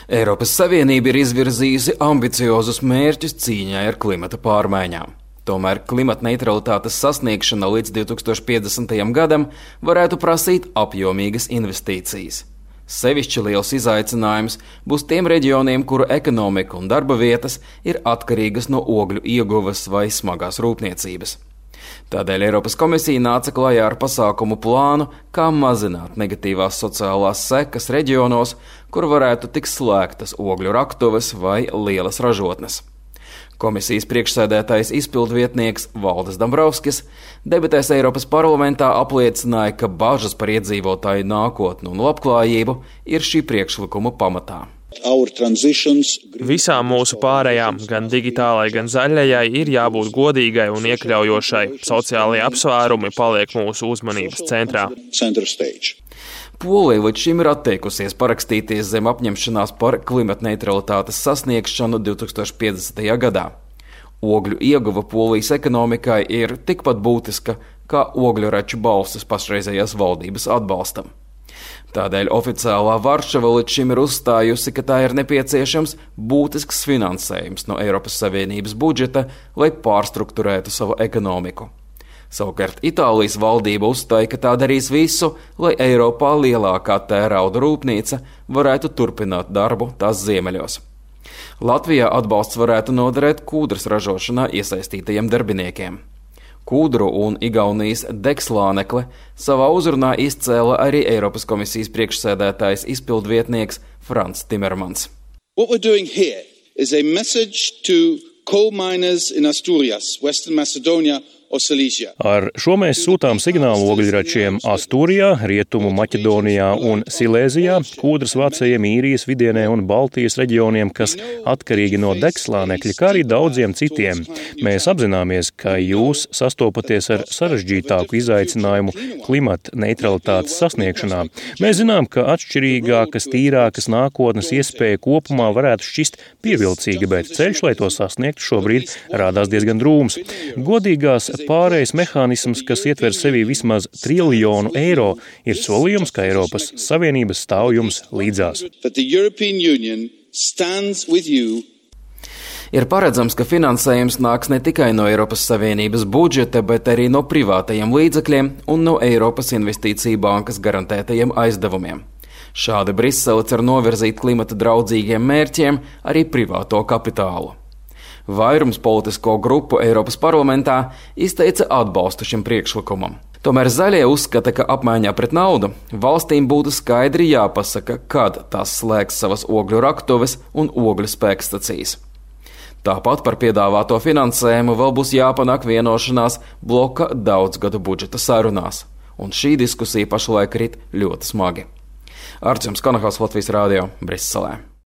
Eiropas Savienība ir izvirzījusi ambiciozus mērķus cīņai ar klimata pārmaiņām. Tomēr klimata neutralitātes sasniegšana līdz 2050. gadam varētu prasīt apjomīgas investīcijas. Sevišķi liels izaicinājums būs tiem reģioniem, kuru ekonomika un darba vietas ir atkarīgas no ogļu ieguves vai smagās rūpniecības. Tādēļ Eiropas komisija nāca klajā ar pasākumu plānu, kā mazināt negatīvās sociālās sekas reģionos, kur varētu tikt slēgtas ogļu raktuves vai lielas ražotnes. Komisijas priekšsēdētājs izpildvietnieks Valdis Dombrovskis debatēs Eiropas parlamentā apliecināja, ka bažas par iedzīvotāju nākotni un labklājību ir šī priekšlikuma pamatā. Visām mūsu pārējām, gan digitālai, gan zaļajai, ir jābūt godīgai un iekļaujošai. Sociālie apsvērumi paliek mūsu uzmanības centrā. Polija līdz šim ir atteikusies parakstīties zem apņemšanās par klimata neutralitātes sasniegšanu 2050. gadā. Ogļu ieguva Polijas ekonomikai ir tikpat būtiska kā ogļuraču balstis pašreizējās valdības atbalstam. Tādēļ oficiālā Varšava līdz šim ir uzstājusi, ka tā ir nepieciešams būtisks finansējums no Eiropas Savienības budžeta, lai pārstrukturētu savu ekonomiku. Savukārt Itālijas valdība uzstāja, ka tā darīs visu, lai Eiropā lielākā tērauda rūpnīca varētu turpināt darbu tās ziemeļos. Latvijā atbalsts varētu noderēt kūdras ražošanā iesaistītajiem darbiniekiem. Kūdru un Igaunijas degslānekli savā uzrunā izcēla arī Eiropas komisijas priekšsēdētājs izpildvietnieks Frans Timermans. What we're doing here is a message to coal miners in Asturias, Western Macedonia or Silesia. Ar šo mēs sūtām signālu ogļračiem Astūrijā, Rietumu Maķedonijā un Silēzijā, kūdras vācējiem Īrijas vidienē un Baltijas reģioniem, kas atkarīgi no degslānekļa, kā arī daudziem citiem. Mēs apzināmies, ka jūs sastopaties ar sarežģītāku izaicinājumu klimata neutralitātes sasniegšanā. Mēs zinām, ka atšķirīgākas, tīrākas nākotnes iespēja kopumā varētu šķist pievilcīga, bet ceļš, lai to sasniegtu, šobrīd rādās diezgan drūms. Godīgās pārējais mehānisms, kas ietver sevī vismaz €1 triljonu, ir solījums, ka Eiropas Savienība stāv jums līdzās. Ir paredzams, ka finansējums nāks ne tikai no Eiropas Savienības budžeta, bet arī no privātajiem līdzekļiem un no Eiropas Investīciju bankas garantētajiem aizdevumiem. Šādi Brisele cer novirzīt klimata draudzīgiem mērķiem arī privāto kapitālu. Vairums politisko grupu Eiropas parlamentā izteica atbalstu šim priekšlikumam. Tomēr zaļie uzskata, ka apmaiņā pret naudu valstīm būtu skaidri jāpasaka, kad tās slēgs savas ogļu raktuves un ogļu spēkstacijas. Tāpat par piedāvāto finansējumu vēl būs jāpanāk vienošanās bloka daudzgadu budžeta sarunās, un šī diskusija pašlaik rit ļoti smagi. Arčuns Konahals, Latvijas Rādio, Briselē.